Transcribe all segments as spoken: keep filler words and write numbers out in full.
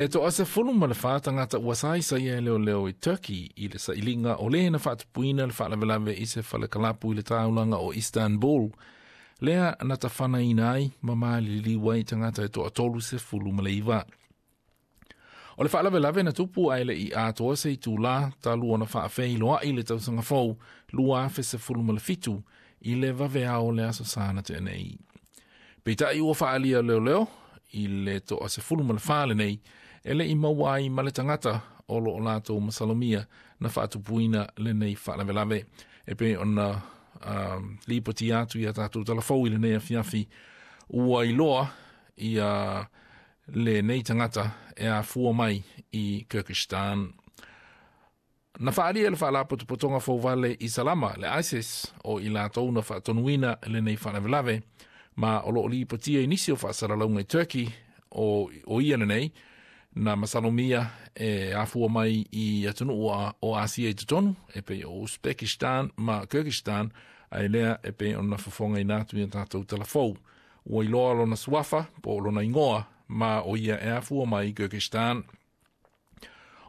E toasefulu ma le fa tagata ua saisaia e leoleo i Turkey i le sailiga o le na faatupuina le faalavelave i se falekalapu i le taulaga o Istanbul. Lea na tafanaina ai ma maliliu ai tagata e toatolu sefulu ma le iva. O le faalavelave na tupu ae le'i atoa se itulā talu ona faafeiloai le tausaga fou lua afe sefulu ma le fitu i le vaveao o le aso Sa na tea nei. Peitai ua faaalia leoleo i le toasefulu ma le fa lenei e le'i maua ai ma le tagata o loo latou masalomia na faatupuina lenei faalavelave. E pei ona um, lipotia atu ia tatou talafou i lenei afiafi ua iloa ia lenei tagata e afua mai i Kyrgyzstan. Na faaalia le faalapotopotoga fouvale Isalama le ISIS o i latou na faatonuina lenei faalavelave ma o loo lipotia i nisi o faasalalauga i Turkey o, o ia lenei na masalomia e afua mai i atunuu o Asia i totonu e pei o Uzbekistan ma Kyrgyzstan ae lea e pei ona fofogaina atu ia tatou talafou. Ua iloa lona suafa po o lona igoa ma o ia e afua mai i Kyrgyzstan.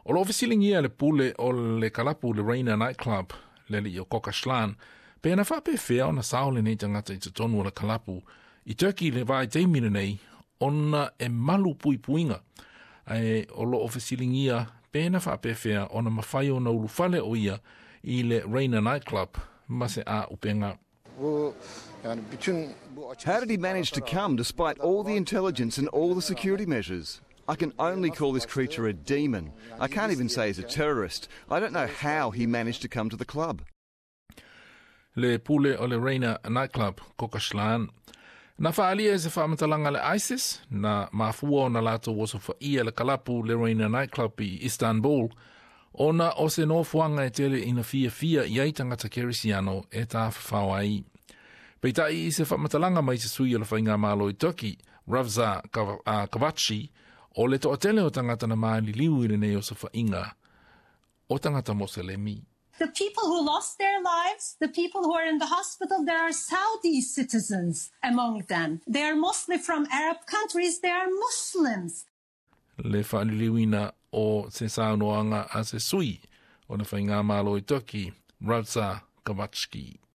O loo fesiligia le pule o le kalapu le Reina Nightclub le alii o Kokaslan pe na faapefea ona sao lenei tagata i totonu o le kalapu i Turkey le vaitaimi lenei ona e malu puipuiga ae o loo fesiligia pe na faapefea ona mafai ona ulufale o ia i le Reina Nightclub ma se auupega. Bu yani bütün bu açık How did he manage to come despite all the intelligence and all the security measures? I can only call this creature a demon. I can't even say he's a terrorist. I don't know how he managed to come to the club. Le pule o le Reina Nightclub, Kokaslan. Na faaalia e se faamatalaga le ISIS, na mafua ona latou osofaia le kalapu le Reina Nightclub i Istanbul, ona o se nofoaga e tele ina fiafia i ai tagata kerisiano e tafafao ai. Peitai i se faamatalaga mai se sui o le faigamalo i Turkey, Ravza Kavakci, o le toatele o tagata na maliliu i lenei osofaiga o tagata Moselemi. The people who lost their lives, the people who are in the hospital, there are Saudi citizens among them. They are mostly from Arab countries, they are Muslims. Le faaliliuina o se saunoaga a se sui o le faigamalo i Turkey, Ravza Kavakci.